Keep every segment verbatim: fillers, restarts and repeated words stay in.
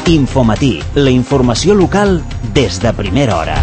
Infomatí, la informació local des de primera hora.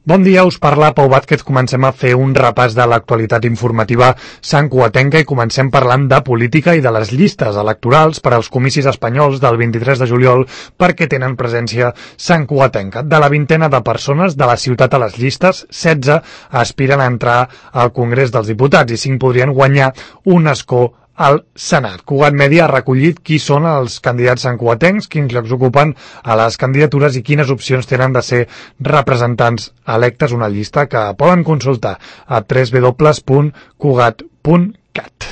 Bon dia, us parla Pau Vázquez. Comencem a fer un repàs de l'actualitat informativa santcugatenca i comencem parlant de política i de les llistes electorals per als comicis espanyols del vint-i-tres de juliol perquè tenen presència santcugatenca. De la vintena de persones de la ciutat a les llistes, setze aspiren a entrar al Congrés dels Diputats i cinc podrien guanyar un escó al Senat. Cugat Mèdia ha recollit qui són els candidats santcugatencs, quins llocs ocupen a les candidatures i quines opcions tenen de ser representants electes, una llista que poden consultar a w w w punt cugat punt cat.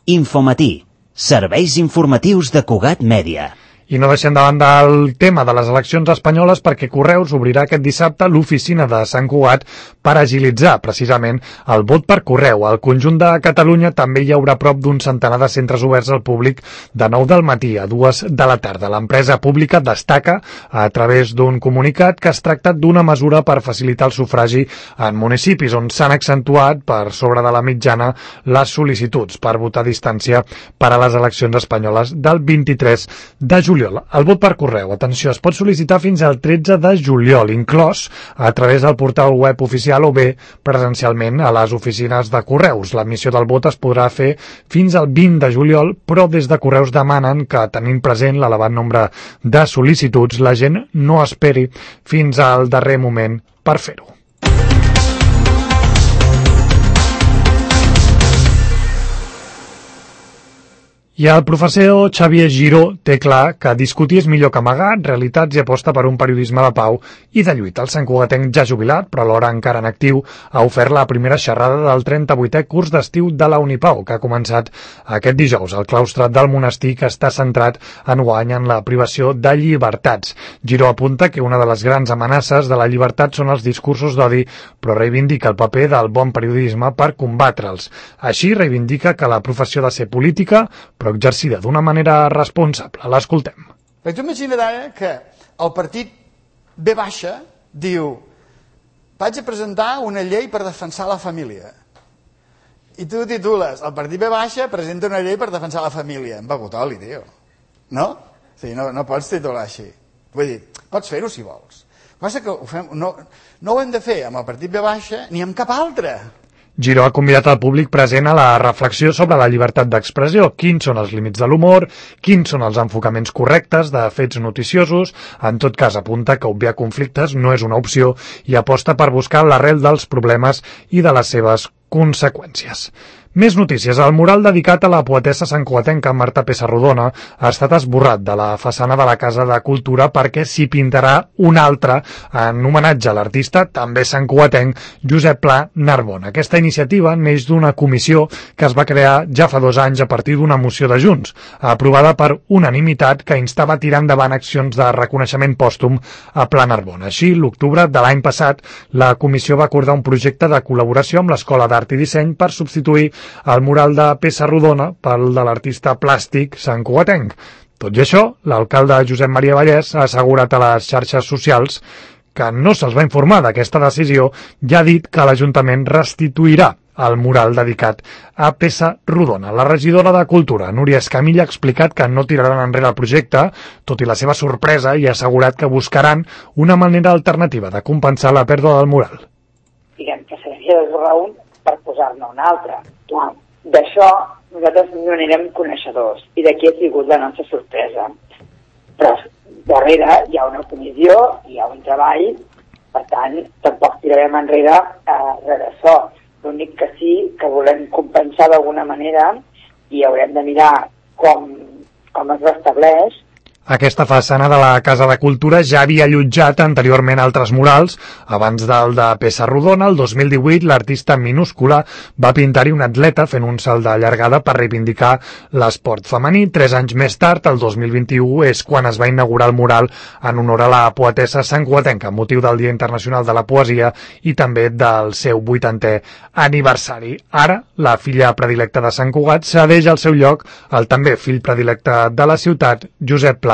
Infomatí, serveis informatius de Cugat Mèdia. I no deixem de banda el tema de les eleccions espanyoles perquè Correus obrirà aquest dissabte l'oficina de Sant Cugat per agilitzar precisament el vot per correu. Al conjunt de Catalunya també hi haurà prop d'un centenar de centres oberts al públic de nou del matí a dues de la tarda. L'empresa pública destaca a través d'un comunicat que es tracta d'una mesura per facilitar el sufragi en municipis on s'han accentuat per sobre de la mitjana les sol·licituds per votar a distància per a les eleccions espanyoles del vint-i-tres de juliol. El vot per correu, atenció, es pot sol·licitar fins al tretze de juliol, inclòs a través del portal web oficial o bé presencialment a les oficines de Correus. L'emissió del vot es podrà fer fins al vint de juliol, però des de Correus demanen que, tenint present l'elevat nombre de sol·licituds, la gent no esperi fins al darrer moment per fer-ho. I el professor Xavier Giró té clar que discutir és millor que amagar realitats i aposta per un periodisme de pau i de lluita. El santcugatenc ja jubilat, però alhora encara en actiu, ha ofert la primera xerrada del trenta-vuitè curs d'estiu de la Unipau, que ha començat aquest dijous al claustre del monestir, que està centrat enguany en la privació de llibertats. Giró apunta que una de les grans amenaces de la llibertat són els discursos d'odi, però reivindica el paper del bon periodisme per combatre'ls. Així reivindica que la professió ha de ser política, però exercida d'una manera responsable. L'escoltem. Perquè tu imagina't ara que el partit ve baixa diu vaig a presentar una llei per defensar la família. I tu titules, el partit ve baixa presenta una llei per defensar la família. Em begut oli, tio. No? O sigui, no, no pots titular així. Vull dir, pots fer-ho si vols. El que passa que ho fem, no, no ho hem de fer amb el partit ve baixa ni amb cap altre. Giró ha convidat el públic present a la reflexió sobre la llibertat d'expressió, quins són els límits de l'humor, quins són els enfocaments correctes de fets noticiosos. En tot cas, apunta que obviar conflictes no és una opció i aposta per buscar l'arrel dels problemes i de les seves conseqüències. Més notícies. El mural dedicat a la poetessa santcugatenca Marta Pessarrodona ha estat esborrat de la façana de la Casa de Cultura perquè s'hi pintarà un altre en homenatge a l'artista, també santcugatenc, Josep Pla Narbona. Aquesta iniciativa neix d'una comissió que es va crear ja fa dos anys a partir d'una moció de Junts, aprovada per unanimitat, que instava a tirar endavant accions de reconeixement pòstum a Pla Narbona. Així, l'octubre de l'any passat, la comissió va acordar un projecte de col·laboració amb l'Escola d'Art i Disseny per substituir el mural de Pessarrodona pel de l'artista plàstic santcugatenc. Tot i això, l'alcalde Josep Maria Vallès ha assegurat a les xarxes socials que no se'ls va informar d'aquesta decisió i ha dit que l'Ajuntament restituirà el mural dedicat a Pessarrodona. La regidora de Cultura, Núria Escamilla, ha explicat que no tiraran enrere el projecte, tot i la seva sorpresa, i ha assegurat que buscaran una manera alternativa de compensar la pèrdua del mural. Diguem que s'havia d'esborrar un per posar-ne un altre. Clar, d'això nosaltres no n'érem coneixedors i d'aquí ha sigut la nostra sorpresa. Però darrere hi ha una comissió, hi ha un treball, per tant, tampoc tirarem enrere eh, res d'això. L'únic que sí que volem compensar d'alguna manera i haurem de mirar com, com es restableix. Aquesta façana de la Casa de Cultura ja havia allotjat anteriorment altres murals. Abans del de Pessarrodona, el dos mil divuit, l'artista Minúscula va pintar-hi un atleta fent un salt de llargada per reivindicar l'esport femení. Tres anys més tard, el dos mil vint-i-u, és quan es va inaugurar el mural en honor a la poetessa santcugatenca, amb motiu del Dia Internacional de la Poesia i també del seu vuitantè aniversari. Ara, la filla predilecta de Sant Cugat cedeix el seu lloc al també fill predilecte de la ciutat, Josep Pla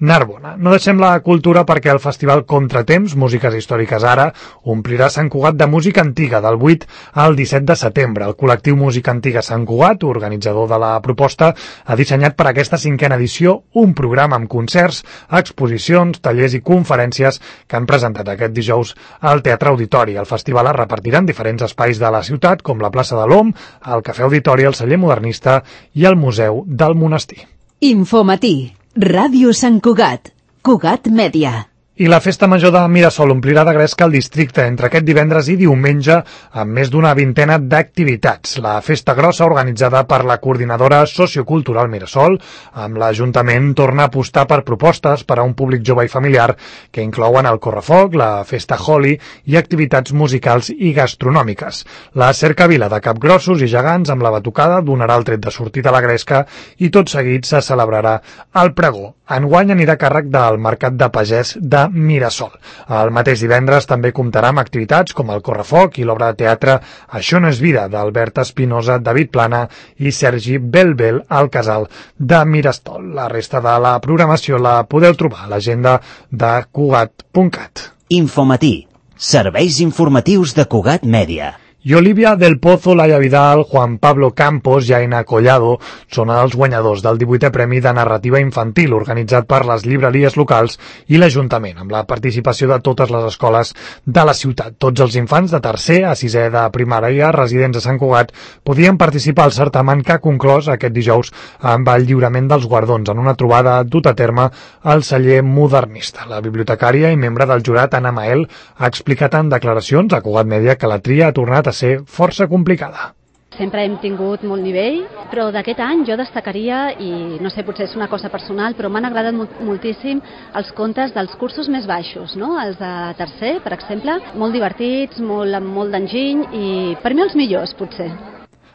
Narbona. No deixem la cultura perquè el festival Contratemps, Músiques Històriques Ara, omplirà Sant Cugat de música antiga del vuit al disset de setembre. El col·lectiu Música Antiga Sant Cugat, organitzador de la proposta, ha dissenyat per aquesta cinquena edició un programa amb concerts, exposicions, tallers i conferències que han presentat aquest dijous al Teatre Auditori. El festival es repartirà en diferents espais de la ciutat, com la plaça de l'Om, el Cafè Auditori, el Celler Modernista i el Museu del Monestir. Infomatí. Ràdio Sant Cugat. Cugat Mèdia. I la Festa Major de Mirasol omplirà de gresca el districte entre aquest divendres i diumenge amb més d'una vintena d'activitats. La festa grossa, organitzada per la coordinadora sociocultural Mirasol, amb l'Ajuntament torna a apostar per propostes per a un públic jove i familiar que inclouen el correfoc, la festa Holi i activitats musicals i gastronòmiques. La cercavila de capgrossos i gegants amb la batucada donarà el tret de sortida a la gresca i tot seguit se celebrarà el pregó. Enguany anirà a càrrec del Mercat de Pagès de Mirasol. El mateix divendres també comptarà amb activitats com el correfoc i l'obra de teatre Això no és vida, d'Albert Espinosa, David Plana i Sergi Belbel al Casal de Mirasol. La resta de la programació la podeu trobar a l'agenda de Cugat punt cat. Infomatí. Serveis informatius de Cugat Mèdia. I Olivia del Pozo, Laia Vidal, Juan Pablo Campos i Aina Collado són els guanyadors del divuitè Premi de Narrativa Infantil organitzat per les llibreries locals i l'Ajuntament, amb la participació de totes les escoles de la ciutat. Tots els infants de tercer a sisè de primària residents a Sant Cugat podien participar al certamen que ha conclòs aquest dijous amb el lliurament dels guardons en una trobada dut a terme al Celler Modernista. La bibliotecària i membre del jurat, Anna Mael, ha explicat en declaracions a Cugat Mèdia que la tria ha tornat a ser força complicada. Sempre hem tingut molt nivell, però d'aquest any jo destacaria, i no sé, potser és una cosa personal, però m'han agradat moltíssim els contes dels cursos més baixos, no? Els de tercer, per exemple, molt divertits, molt, amb molt d'enginy, i per mi els millors, potser.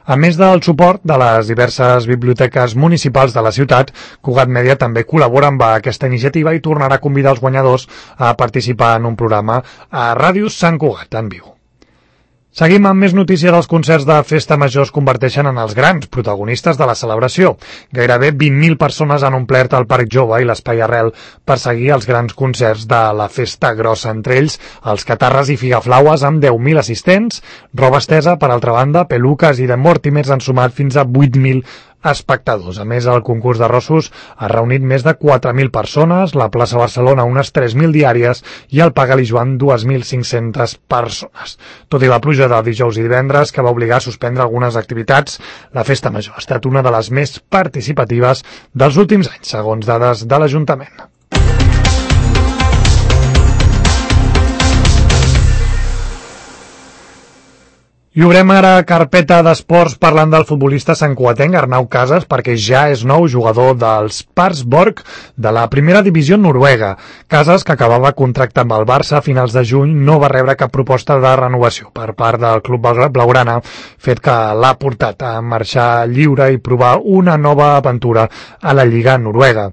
A més del suport de les diverses biblioteques municipals de la ciutat, Cugat Mèdia també col·labora amb aquesta iniciativa i tornarà a convidar els guanyadors a participar en un programa a Ràdio Sant Cugat en viu. Seguim amb més notícies. Els concerts de Festa Major es converteixen en els grans protagonistes de la celebració. Gairebé vint mil persones han omplert el Parc Jove i l'Espai Arrel per seguir els grans concerts de la Festa Grossa, entre ells els Catarres i Figaflaues amb deu mil assistents, roba estesa, per altra banda, peluques i de Mortimers han sumat fins a vuit mil espectadors. A més, el concurs de rossos ha reunit més de quatre mil persones, la plaça Barcelona unes tres mil diàries i el Pagal i Joan dos mil cinc-centes persones. Tot i la pluja de dijous i divendres, que va obligar a suspendre algunes activitats, la Festa Major ha estat una de les més participatives dels últims anys, segons dades de l'Ajuntament. I obrem ara carpeta d'esports parlant del futbolista santcugatenc Arnau Casas, perquè ja és nou jugador dels Parksborg de la primera divisió noruega. Casas, que acabava contracte amb el Barça a finals de juny, no va rebre cap proposta de renovació per part del club blaugrana, fet que l'ha portat a marxar lliure i provar una nova aventura a la Lliga noruega.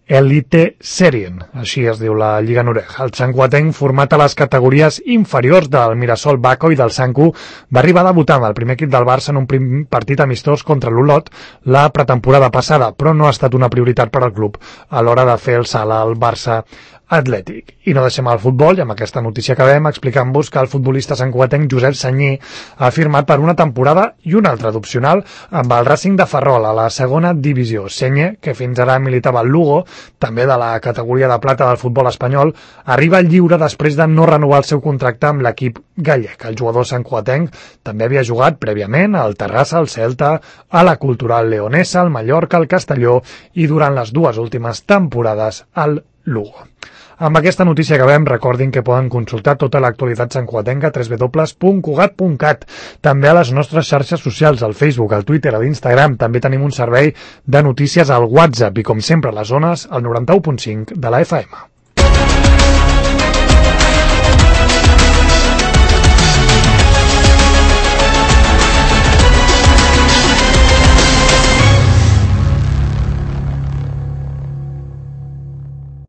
Elite Serien, així es diu la Lliga Noruega. El santcugatenc, format a les categories inferiors del Mirasol Baco i del Sanku, va arribar a debutar amb el primer equip del Barça en un primer partit amistós contra l'Olot la pretemporada passada, però no ha estat una prioritat per al club a l'hora de fer el salt al Barça Atlètic. I no deixem el futbol, i amb aquesta notícia acabem explicant-vos que el futbolista santcugatenc Josep Sanyer ha firmat per una temporada i una altra d'opcional amb el Racing de Ferrol a la segona divisió. Sanyer, que fins ara militava al Lugo, també de la categoria de plata del futbol espanyol, arriba lliure després de no renovar el seu contracte amb l'equip gallec. El jugador santcugatenc també havia jugat prèviament al Terrassa, al Celta, a la Cultural Leonesa, al Mallorca, al Castelló i durant les dues últimes temporades al Lugo. Amb aquesta notícia acabem. Recordin que poden consultar tota l'actualitat santcugatenca a w w w punt cugat punt cat. També a les nostres xarxes socials, al Facebook, al Twitter, a l'Instagram. També tenim un servei de notícies al WhatsApp i, com sempre, a les zones, al noranta-u punt cinc de la F M.